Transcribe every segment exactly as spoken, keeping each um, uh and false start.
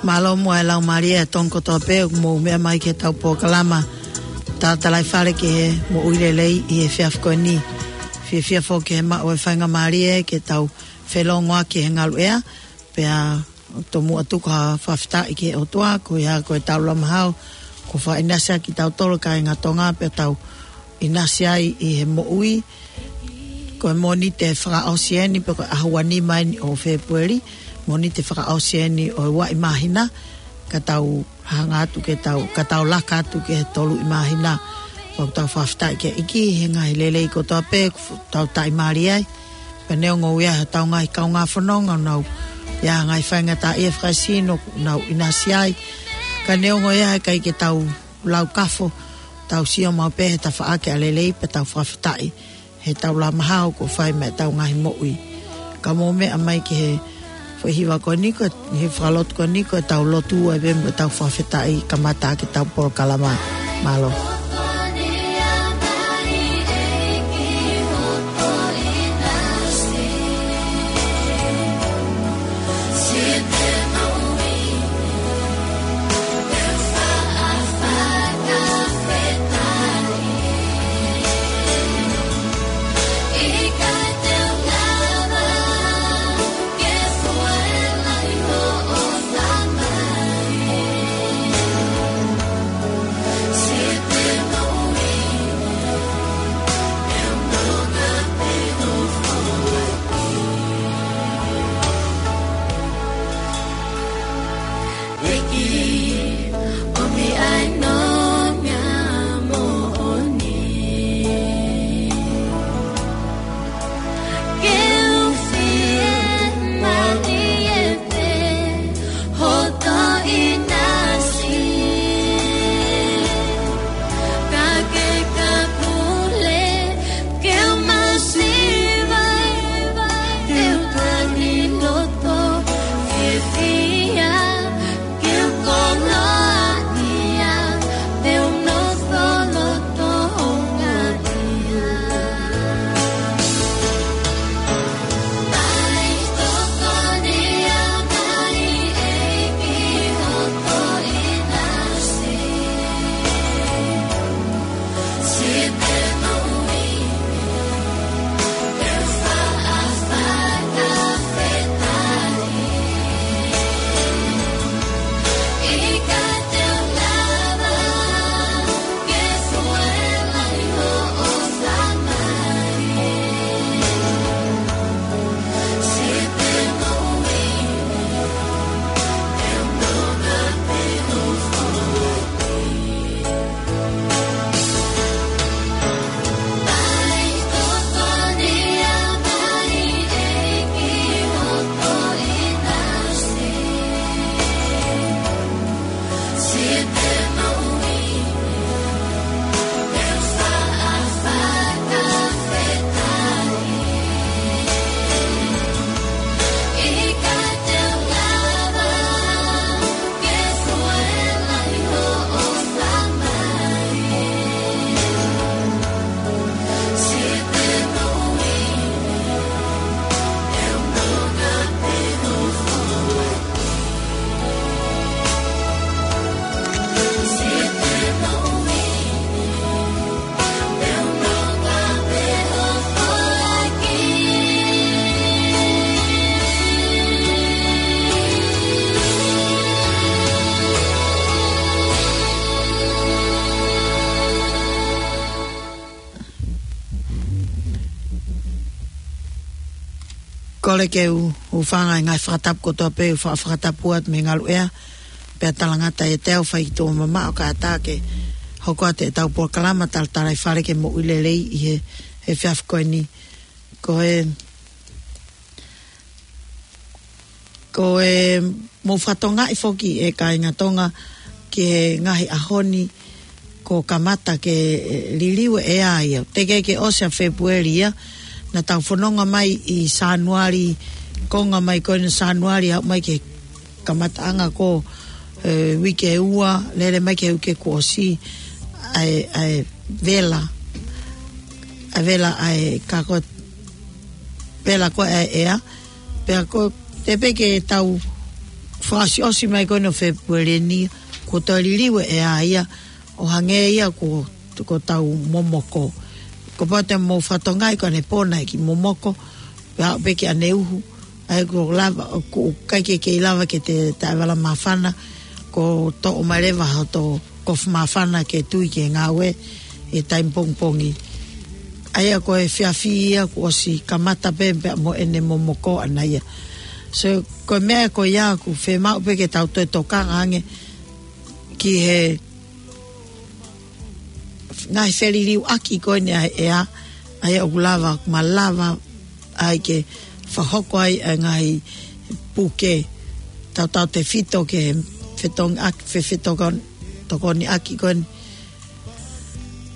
Mālō muʻa e laumālie ʻa e Tonga kotoa pē ʻoku mou meʻa mai ki heʻetau polokalama Talatalaifale ki he Moʻui Lelei ʻi he efiafi ko eni. Fiefia foki he maʻu e faingamālie ke tau felongoaki he ngaluʻea, pea tomuʻa tuku ha fakafetaʻi ki he ʻOtua, ko ia ko ʻetau Lāmahao, kuo fakaʻinasi ʻaki kitautolu kāinga Tonga, pea tau ʻinasi ai ʻi he moʻui. Ko e Mōnite fakaʻosi eni, pe ko e ʻaho ua nima eni ʻo Fēpueli, Mōnite fakaʻosi eni ʻo e ua ʻi māhina, ka tau hanga atu ke tau, ka tau laka atu ki he tolu ʻi māhina. Pea ʻoku tau fakafetaʻi ki he ʻEiki he ngaahi lelei kotoa pē, ʻoku tau taʻimālie ai. Pea neongo ʻoku ʻi ai hotau ngaahi kaungā fononga ʻoku nau ʻi ai ha ngaahi faingataʻaʻia fakaesino ʻoku nau ʻinasi ai. Ka neongo ia he ʻikai ke tau laukafo, tau sio maʻu pē he tafaʻaki ʻa e lelei pea tau fakafetaʻi heʻetau Lāmahao kuo fai mai ʻetau ngaahi moʻui. Ka mou meʻa mai ki he foʻi hiva ko eni ko, he fakalotu ko eni ko ʻetau lotu ai pē mo ʻetau fakafetaʻi kamata ʻaki ʻetau polokalama. Mālō. Kole ke u, u hūfanga he ngaahi fakatapu kotoa pē, u fa-, fakatapu atu mei he ngaluʻea, pea talangata ʻiate au fai ki tuʻa mamaʻo kae ʻatā ke hoko atu ʻetau polokalama Talatalaifale ki he Moʻui Lelei ʻi he, he efiafi ko eni. Ko e, ko e mou fakatokangaʻi foki ʻe kāinga Tonga ki he ngaahi ʻaho ni, ko e kamata ke, e, liliu e ʻea ia. Teʻeki ke ʻosi ʻa Fēpueli ia, naʻa tau fononga mai ʻi Sānuali, konga mai ko eni Sānuali, aʻu mai ki he kamataʻanga ko e, uike ua, lele mai ki he uike kuo ʻosi, ʻa e, ʻa e vela, ʻa e vela, ʻa e kako, vela ko e ʻea, pea ko e teʻeki ke tau fakaʻosiʻosi mai ko eni ʻo Fēpueli ni, kuo toe liliu e ʻea ia, ʻo hangē ia ko, ko ʻetau momoko. Kapau te mou fakatokangaʻi ko ʻanepō naʻe kiʻi momoko, pea aʻu pē ki ʻaneuhu, ʻa ia ʻoku lava, ʻoku ʻikai ke kei lava ke te taʻevala māfana, ko e toʻo mai leva hoto kofu māfana ke tui ki he ngāue he taimi pongipongi. ʻA ia ko e efiafi ia kuo ʻosi kamata pē pea mo ʻene momoko ʻana ia. So, ko e meʻa ko ia ʻoku fiemaʻu pē ke tau toe tokanga ange ki he ngaahi feliliuaki ko eni ʻa e ʻea, ʻa ia ʻoku lava, ʻoku malava ai ke fakahoko ai ʻa e ngaahi puke, tautautefito ki he fetongiʻaki, fe, fetokon, tokoniʻaki ko eni.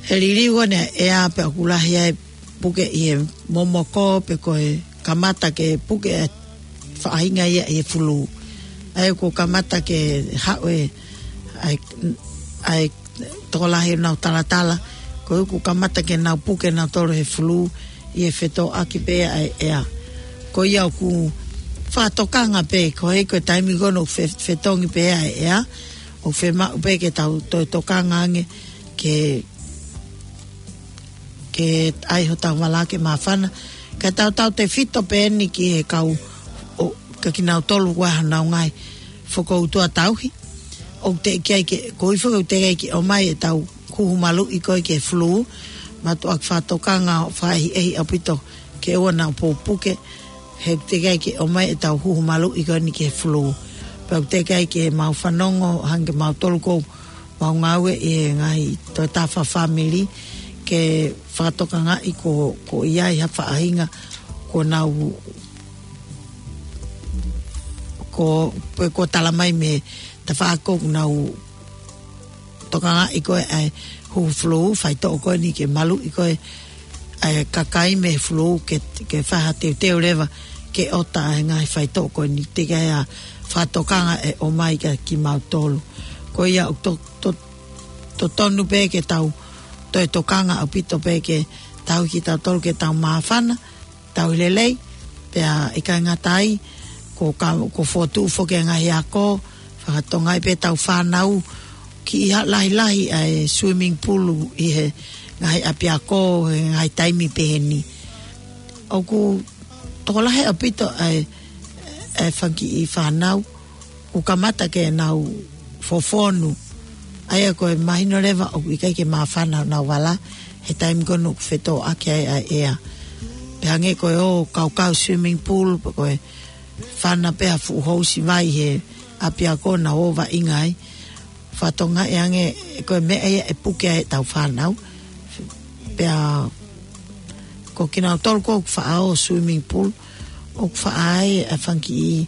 He liliu ko eni ʻa e ʻea pea ʻoku lahi ai puke ʻi he momoko pe ko e kamata ke puke e faʻahinga ia ʻi he fulū. ʻA ia kuo kamata ke haʻu e, ʻa e, ʻa e tokolahi ʻenau talatala, ko ia kuo kamata ke nau puke nautolu he fulū ʻi he fetōʻaki pē ʻa e ʻea. Ko ia ʻoku fakatokanga pē, ko e, ko e taimi ko eni ʻoku fe, fetongi pē ʻa e ʻea, ʻoku fiemaʻu pē ke tau toe tokanga ange ke ke ʻai hotau vala ke māfana. Ka tautautefito pē eni ki he kau, ʻo, ka kinautolu ʻoku ʻi ai honau ngaahi fokoutua tauhi. ʻOku teʻeki ai ke, ko ifo ʻoku teʻeki ai ke ʻomai ʻetau huhu maluʻi ko ē ki he fulū. Mātuʻaki fakatokanga ʻo fakaʻehiʻehi ʻaupito ke ʻoua naʻa pupuke. He ʻoku teʻeki ai ke ʻomai ʻetau huhu maluʻi ko eni ki he fulū. Pea ʻoku teʻeki ai ke mau fanongo, hangē mautolu ko ʻemau ngāue ʻi he ngaahi toʻutangata fakafāmili ke fakatokangaʻi ko, ko ia ʻi ha faʻahinga ko ʻenau, ko, pe ko e tala mai mei he tafaʻaki ʻoku nau tokangaʻi ko ē ʻa e huhu fulū, faitoʻo ko eni ke maluʻi ko ē ʻa e kakai mei he fulū ke, ke fai ha teuteu leva ke ʻota ʻa e ngaahi faitoʻo ko eni, teʻeki ai ke fakatokanga ʻe ʻomai kia kimautolu. Ko ia ʻoku to, to, totonu pē ke tau toe tokanga ʻaupito pē ke tauhi kitautolu ke tau māfana, tauhi lelei, pea ʻikai ngata ai, ko ka, ko e fokotuʻu foki e ngaahi ako, fakatonga ai pē ʻetau fānau, kiʻi ha, lahilahi ʻa e swimming pool ʻi he ngaahi ʻapiako, he ngaahi taimi pehē ni. ʻOku tokolahi ʻaupito ʻa e, ʻa e fanga kiʻi fānau, ʻoku kamata ke nau fofonu. ʻA ia ko e mahino leva ʻoku ʻikai ke māfana honau vala, he taimi ko ē ʻoku fetōʻaki ai ʻa e ʻea. Pea hangē ko e ō kaukau swimming pool, pe ko e fana pē ha fuʻu housi vai he ʻapiako naʻa ō vaʻinga ai. Fakatonga ʻe ange, ko e meʻa ia ʻe puke ai ʻetau fānau. Pea ko kinautolu ko ē ʻoku faʻa ō swimming pool, ʻoku faʻa ʻai ʻa e fanga kiʻi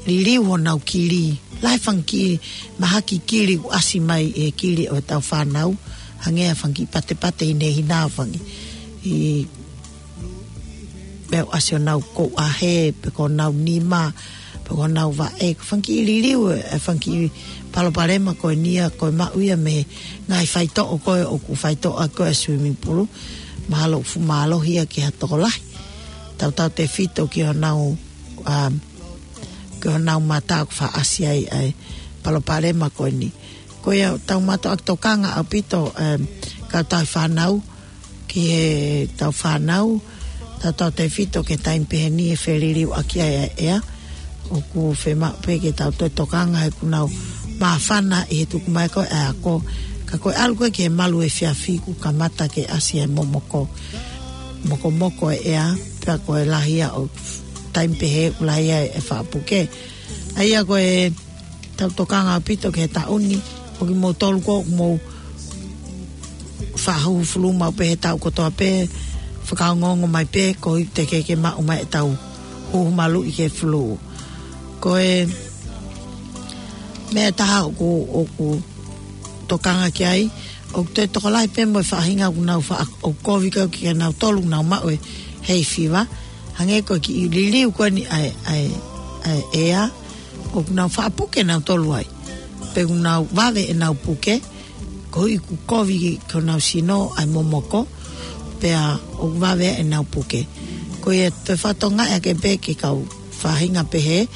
liliu honau kili. Lahi e fanga kiʻi mahaki kili ʻoku ʻasi mai ʻi he kili ʻo ʻetau fānau, hangē ha fanga kiʻi patepate hinehina, fanga kiʻi meʻa ʻoku ʻasi honau kouʻahe, pe ko honau nima, pe ko honau vaʻe, ko e fanga kiʻi liliu e, e fanga kiʻi palopalema ko eni ia, ko e maʻu ia mei he ngaahi faitoʻo ko ē ʻoku faitoʻo ko ē swimming pool, mahalo ʻoku fuʻu mālohi ia ki ha tokolahi. Tautautefito ki honau, um, ki honau mata ʻoku faʻa ʻasi ai ʻa e palopalema ko eni. Ko ia ʻoku tau mātuʻaki tokanga ʻaupito, um, kau tauhi fānau, ki heʻetau fānau, tautautefito ki he taimi pehē ni ʻe feliliuaki ai ʻa e ʻea. ʻOku fiemaʻu pē ke tau toe tokanga he ʻoku nau māfana ʻi he tuku mai ko ē ʻa e ako. Ka ko e ʻalu ko ē ki he malu efiafi kuo kamata ke ʻasi e momoko, mokomoko e ʻea, pea ko e lahi ia ʻo e taimi pehē ʻoku lahi ai e faʻa puke. ʻA ia ko e tau tokanga ʻaupito ki he taʻu ni, ʻo kimoutolu ko ē ʻoku mou faʻa huhu fulū maʻu pē he taʻu kotoa pē, fakaongoongo mai pē, koeʻuhi teʻeki ke maʻu mai ʻetau huhu maluʻi ki he fulū. Ko e meʻa ʻe taha ʻoku, ʻoku tokanga ki ai, ʻOku toe tokolahi pē mo e faʻahinga ʻoku nau faʻa, ʻoku kovi kau kia nautolu ʻoku nau maʻu e hay fever. Hangē ko e kiʻi liliu ko eni ʻa e, ʻa e, ʻa e ʻea, ʻoku nau faʻa puke nautolu ai. Pe ʻoku nau vave ʻenau puke, koeʻuhi ʻoku kovi ki honau sino ʻa e momoko, pea ʻoku vave ʻenau puke. Ko ia toe fakatokangaʻi ake pē ki he kau faʻahinga pehē,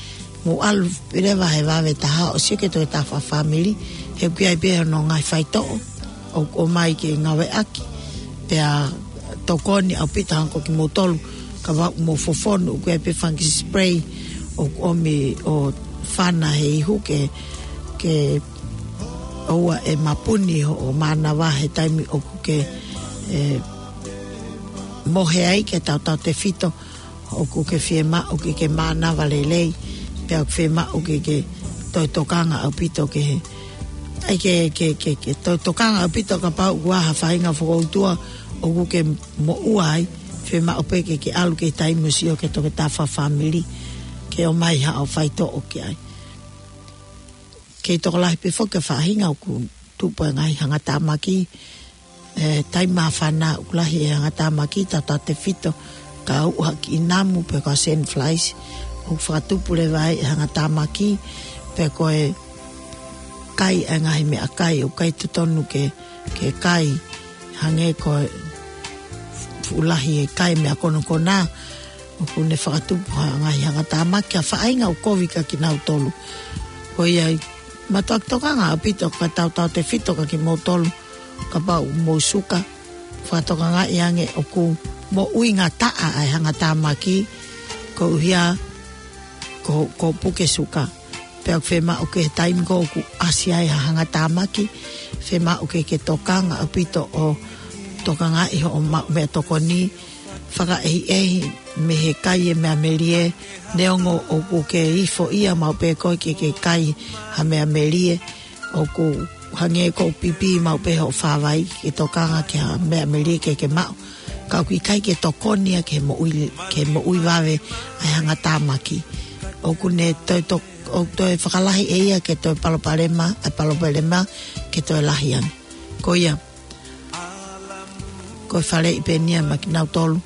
mou ʻalu pē leva he vave taha ʻo sio ki he toketā fakafāmili, he ʻoku ʻi ai pē hono ngaahi faitoʻo ʻoku ʻomai ke ngāueʻaki, pea tokoni ʻaupito hangē ko kimoutolu, kapau ʻoku mou fofonu, ʻoku ʻi ai pē fungicide spray ʻoku ʻomi ʻo fana he ihu ke, ke ʻoua ʻe mapuni hoʻo mānava he taimi ʻoku ke, ē, mohe ai, ke tautautefito ʻoku ke fiemaʻu ke ke mānava lelei, pea ʻoku fiemaʻu ke ke toe tokanga ʻaupito ki he, ʻai ke, ke, ke, ke toe tokanga ʻaupito kapau ʻoku ʻi ai ha faʻahinga fokoutua ʻoku ke moʻua ai, fiemaʻu pē ke ke ʻalu ki he taimi ʻo sio ki he toketā fakafāmili, ke ʻomai haʻo faitoʻo ki ai. Kei tokolahi pē foki e faʻahinga ʻoku tupu e ngaahi hangatāmaki, ē, taimi māfana ʻoku lahi e hangatāmaki, tautautefito ka uʻu ha kiʻi namu pe ko e sand flies, ʻoku fakatupu leva ai e hangatāmaki, pe ko e kai e ngaahi meʻakai ʻoku ʻikai totonu ke, ke kai, hangē ko e fuʻu lahi e kai meʻa konokona, ʻoku ne fakatupu ha ngaahi hangatāmaki, ha faʻahinga ʻoku kovi kia kinautolu. Ko ia ai, mātuʻaki tokanga ʻaupito ka tautautefito kia kimoutolu, kapau ʻoku mou suka, fakatokangaʻi ange ʻoku moʻui ngataʻa ʻa e hangatāmaki, koeʻuhi ko, ko e puke suka. Pea ʻoku fiemaʻu ke he taimi ko ē ʻoku ʻasi ai ha hangatāmaki, fiemaʻu ke ke tokanga ʻaupito ʻo tokangaʻi hoʻo maʻu meʻatokoni, fakaʻehiʻehi mei he kai e meʻa melie, neongo ʻoku ke ifo ia maʻu pē koe ke ke kai ha meʻa melie, ʻoku hangē ko e pipi maʻu pē hoʻo fāvai ke tokanga ki ha meʻa melie ke ke maʻu. Ka ʻoku ʻikai ke tokoni ia ke moʻui, ke moʻui vave ʻa e hangatāmaki. ʻOku ne toe to-, ʻoku toe fakalahi ʻe ia ke toe palopalema, ʻa e palopalema ke toe lahi ange. Ko ia, ko e faleʻi pē eni ia maʻa kinautolu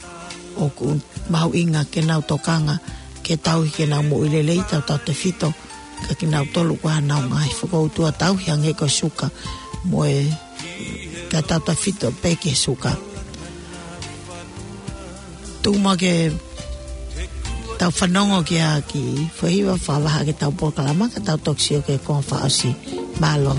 ʻoku mahuʻinga ke nau tokanga ke tauhi ke nau moʻui lelei, tautautefito kia kinautolu ʻoku ʻi ai haʻanau ngaahi fokoutua tauhi hangē ko e suka mo e, ka tautautefito pē ki he suka. Tuku muʻa ke tau fanongo ki he kiʻi foʻi hiva fakavaha ki heʻetau polokalama ka tau toki sio ki he konga fakaʻosi. Mālō.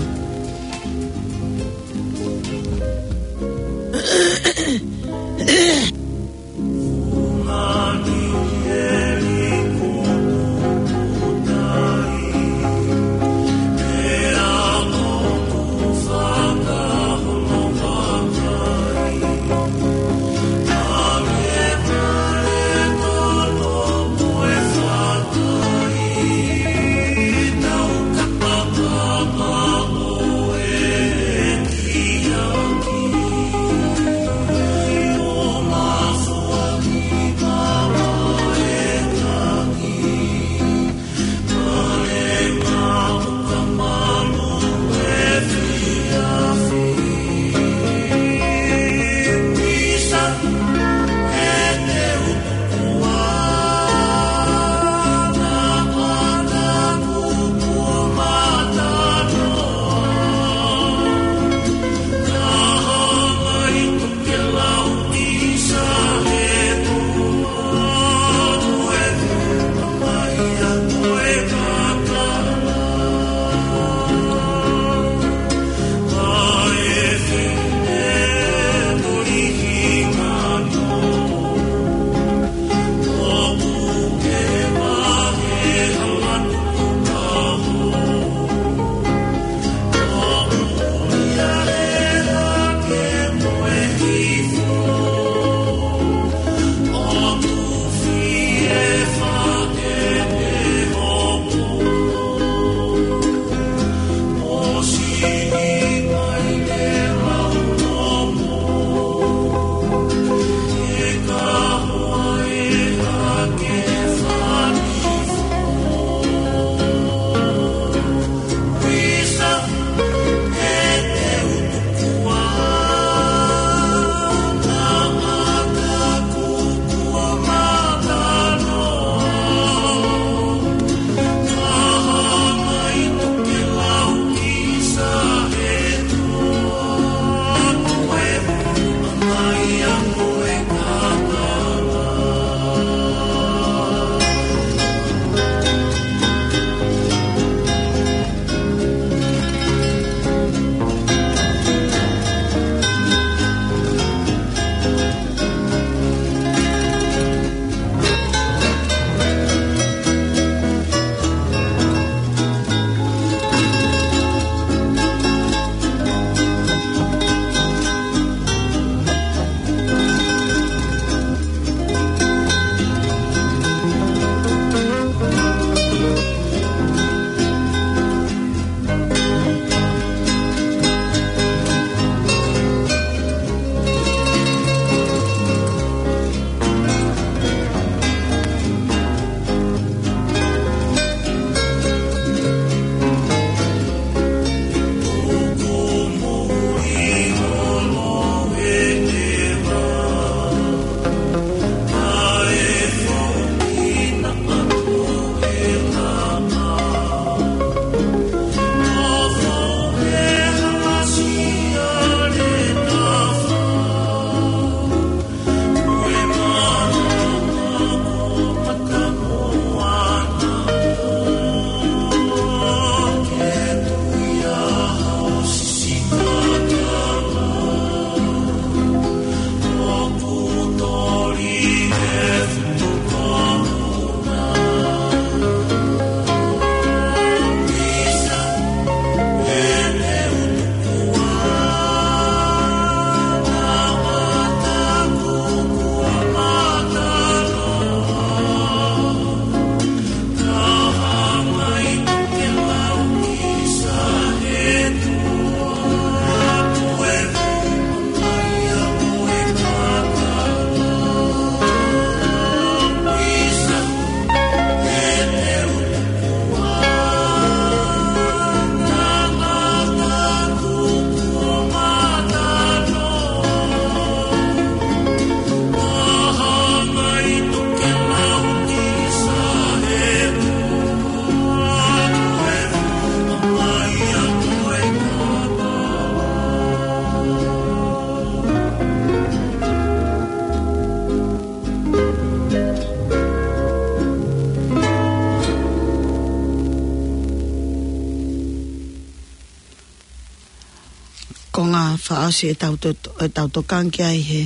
Ko e ngaahi fakaʻosi ʻetau to-, ʻetau tokanga ki ai he,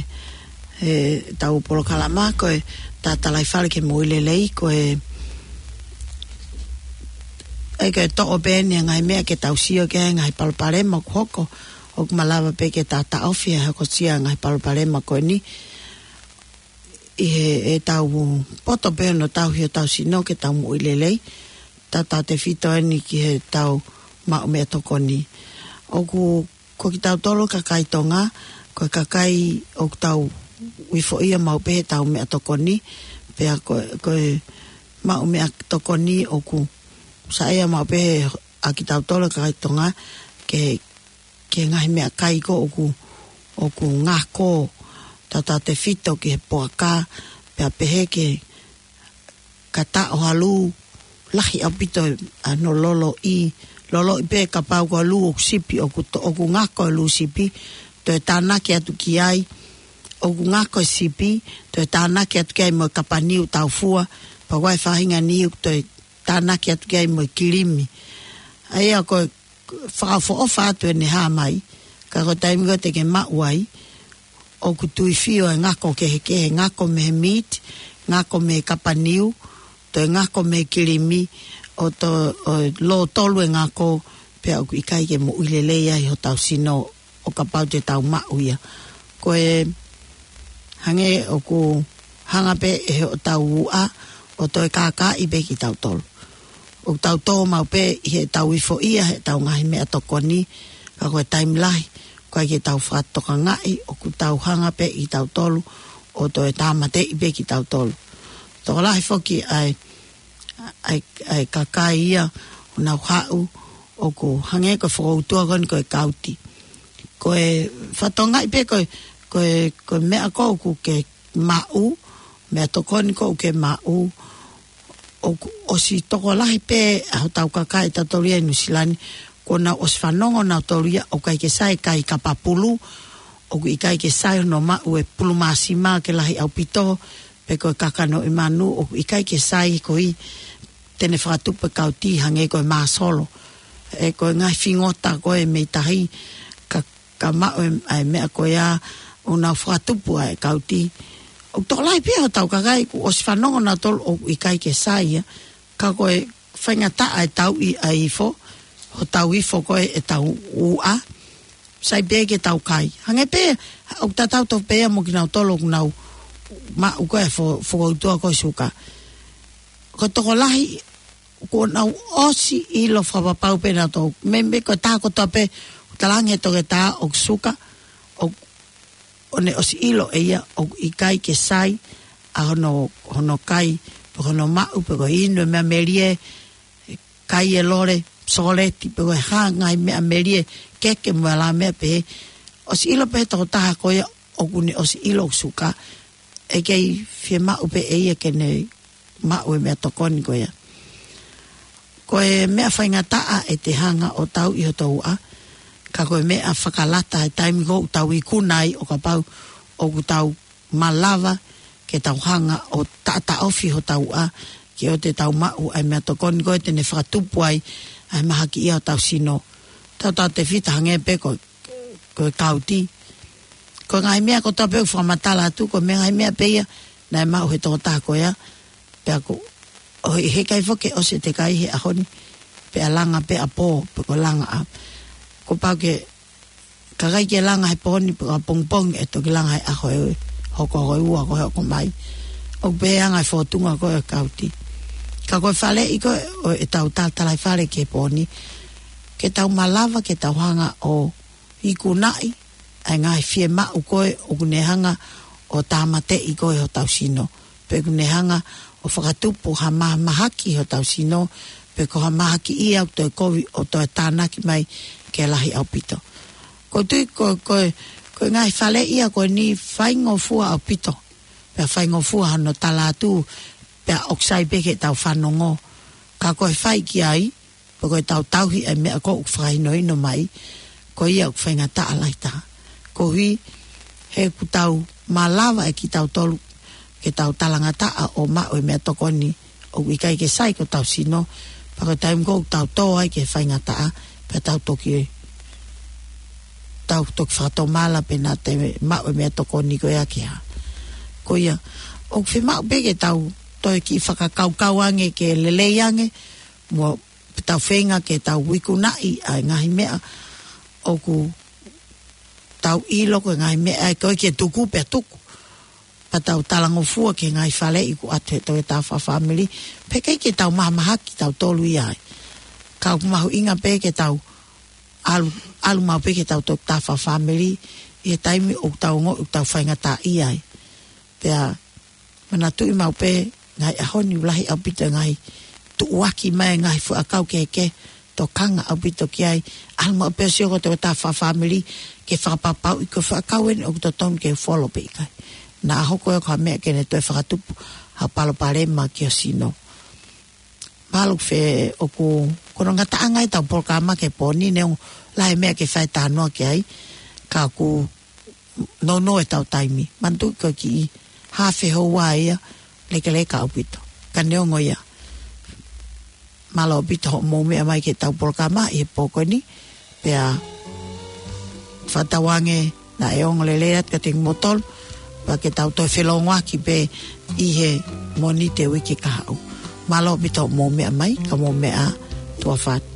he ʻetau polokalama ko e Tatalaifale ki he Moʻui Lelei, ko e, ʻe ke toʻo pē eni e ngaahi meʻa ke tau sio ki ai, ngaahi palopalema ʻoku hoko, ʻoku malava pē ke tau taʻofi ʻa e hokosia e ngaahi palopalema ko eni. ʻI he, ʻetau poto pē hono tauhi hotau sino ke tau moʻui lelei, tautautefito eni ki heʻetau maʻu meʻatokoni. ʻOku, ko kitautolu kakai Tonga, ko e kakai ʻoku tau uifoʻia maʻu pē heʻetau meʻatokoni, pea ko, ko e maʻu meʻatokoni ʻoku saiʻia maʻu pē ʻa kitautolu kakai Tonga ke ki he ngaahi meʻakai ko ē ʻoku, ʻoku ngako, tautautefito ki he puaka, pea pehē ki he kata ʻo ha lū, lahi ʻaupito ʻa hono loloʻi, loloʻi pē kapau ko e lū ʻoku sipi ʻoku to-, ʻoku ngako e lū sipi, toe tānaki atu ki ai, ʻoku ngako e sipi, toe tānaki atu ki ai mo e kapa niu taufua, pea ko e faʻahinga niu toe tānaki atu ki ai mo e kilimi. ʻA ia ko e fakaʻofoʻofa atu ʻene hā mai, ka ko e taimi ko ē te ke maʻu ai, ʻoku tuifio e ngako kehekehe, ngako mei he meat, ngako mei he kapa niu, toe ngako mei he kilimi, ʻo to-, ʻo lōtolu e ngako, pea ʻoku ʻikai ke moʻui lelei ai hotau sino ʻo kapau te tau maʻu ia. Ko e hangē ʻoku hanga pē ʻe hotau uʻa ʻo toe kākaaʻi pē kitautolu. ʻOku tau tō maʻu pē ʻi heʻetau uifoʻia heʻetau ngaahi meʻatokoni, ka ko e taimi lahi, ʻoku ʻikai ke tau fakatokangaʻi, ʻoku tau hanga pē ʻe kitautolu ʻo toe tāmateʻi pē kitautolu. Tokolahi foki ʻa e, ʻa e, ʻa e kakai ia ʻoku nau haʻu, ʻoku hangē ko e fokoutua ko eni ko e kauti. Ko e fatongia pē ko e, ko e, ko e meʻa ko ē ʻoku ke maʻu, meʻatokoni ko ē ʻoku ke maʻu, ʻoku ʻosi tokolahi pē ʻa hotau kakai ʻatautolu ia ʻi Nuʻusila ni, kuo nau ʻosi fanongo nautolu ia ʻoku ʻikai ke sai e kai kapa pulu, ʻoku ʻikai ke sai hono maʻu e pulu māsima ke lahi ʻaupito, pe ko e kakano ʻi manu, ʻoku ʻikai ke sai ko ē te ne fakatupu e kauti hangē ko e māsolo. ʻE ko e ngaahi fingota ko ē mei tahi, ka ka maʻu e, ʻa e meʻa ko ia ʻoku nau fakatupu ai e kauti. ʻOku tokolahi pē hotau kakai kuo ʻosi fanongo nautolu ʻoku ʻikai ke sai ia, ka ko e faingataʻa e tauʻi ʻa e ifo, hotau ifo ko ē ʻetau uʻa, sai pē ke tau kai. Hangē pē, ʻoku tatau tofu pē ia mo kinautolu ʻoku nau maʻu ko ē fo-, fokoutua ko e suka. Ko e tokolahi, kuo nau ʻosi ʻilo fakapapau pē nautolu. Meimei ko e taha kotoa pē, ʻoku talaange ʻe he toketā ʻoku suka, ʻo, ʻo ne ʻosi ʻilo ʻe ia ʻoku ʻikai ke sai ʻa hono, hono kai, pe hono maʻu, pe ko e inu e meʻa melie, kai e lole, sokoleti, pe ko e hā e ngaahi meʻa melie, keke mo e ʻalā meʻa pehē. ʻOsi ʻilo pē ʻe he tokotaha ko ia ʻoku ne ʻosi ʻilo ʻoku suka, ʻe kei fiemaʻu pē ʻe ia ke ne maʻu e meʻatokoni ko ia. Ko e meʻa faingataʻa ʻete hanga ʻo tauʻi hoto uʻa, ka ko e meʻa fakalata he taimi ko ē ʻoku tau ikuna ai ʻo kapau ʻoku tau malava ke tau hanga ʻo taʻataʻofi hotau uʻa, ke ʻoua te tau maʻu ʻa e meʻatokoni ko ē te ne fakatupu ai ʻa e mahakiʻia hotau sino. Tautautefito hangē pē ko e ko e kauti. Ko e ngaahi meʻa kotoa pē ʻoku fakamatala atu, ko e meʻa, ngaahi meʻa pē ia naʻe maʻu he tokotaha ko ia, pea ko, ʻoku ʻikai foki ke ʻosi ʻete kai he ʻaho ni, pea langa pē ʻapō, pe ko e langa ʻa. Kuo pau ke, ka ʻikai ke langa he pō ni, pe ko e pongipongi ʻe toki langa he ʻaho ʻe hoko, ko e ua ko ē hoko mai. ʻOku pehē ʻa e ngaahi fōtunga ko ē ʻo e kauti. Ka ko e faleʻi ko ē ʻo ʻetau Tatalaifale ki he pō ni, ke tau malava, ke tau hanga ʻo ikunaʻi ʻa e ngaahi fiemaʻu ko ē ʻoku ne hanga ʻo tāmateʻi ko ē hotau sino, pe ʻoku ne hanga ʻo fakatupu ha mahamahaki hotau sino, pe ko ha mahakiʻia ʻoku toe kovi ʻo toe tānaki mai ke lahi ʻaupito. Ko e tui ko, ko, ko e ngaahi faleʻi ia ko eni faingofua ʻaupito, pea faingofua hono tala atu, pea ʻoku sai pē ke tau fanongo, ka ko e fai ki ai, pe ko ʻetau tauhi e meʻa ko ē ʻoku fakahinohino mai, ko ia ʻoku faingataʻa lahi taha. Koeʻuhi he ʻoku tau malava ʻe kitautolu ke tau talangataʻa ʻo maʻu e meʻatokoni ʻoku ʻikai ke sai ki hotau sino, pea ko e taimi ko ē ʻoku tau tō ai ki he faingataʻa, pea tau toki tau toki fakatomala pē naʻa te maʻu e meʻatokoni ko ia ke hā. Ko ia, ʻoku fiemaʻu pē ke tau toe kiʻi fakakaukau ange ke lelei ange, mo tau feinga ke tau ikunaʻi ʻa e ngaahi meʻa ʻoku tau ʻilo ko e ngaahi meʻa ʻe ʻikai ke tuku pea tuku. Pea tau talangofua ki he ngaahi faleʻi ʻoku ʻatu he toki tā fakafāmili. Pea ʻikai ke tau mahamahaki tautolu ia ai. Ka ʻoku mahuʻinga pē ke tau ʻalu, ʻalu maʻu pē ke tau toki tā fakafāmili ʻi he taimi ʻoku tau ongoʻi ʻoku tau faingataʻaʻia ai. Pea manatuʻi maʻu pē ngaahi ʻaho ni ʻoku lahi ʻaupito e ngaahi tuʻuaki mai e ngaahi fuʻu ʻakau kehekehe, tokanga ʻaupito ki ai. ʻAlu maʻu pē ʻo sio ko e toki tā fakafāmili ke fakapapauʻi ko e fuʻu ʻakau eni ʻoku totonu ke folo pe ʻikai. Naʻa hoko ia ko ha meʻa ke ne toe fakatupu ha palopalema ki ho sino. Mālō Fē, ʻoku, ko hono ngataʻanga ʻetau polokalama ki he pō ni, neongo lahi e meʻa ke fai talanoa ki ai, ka ʻoku nounou ʻetau taimi. Manatuʻi ko e kiʻi haafe houa ia, lekeleka ʻaupito. Ka neongo ia, mālō ʻaupito hoʻomou meʻa mai ki heʻetau polokalama ʻi he pō ko eni, pea fakatauange naʻe ongo lelei atu kiate kimoutolu, pea ke tau toe felōngoaki pē ʻi he Mōnite uike kahaʻu. Mālō ʻaupito hoʻomou meʻa mai, ka mou meʻa ā, tuʻa ʻofa atu.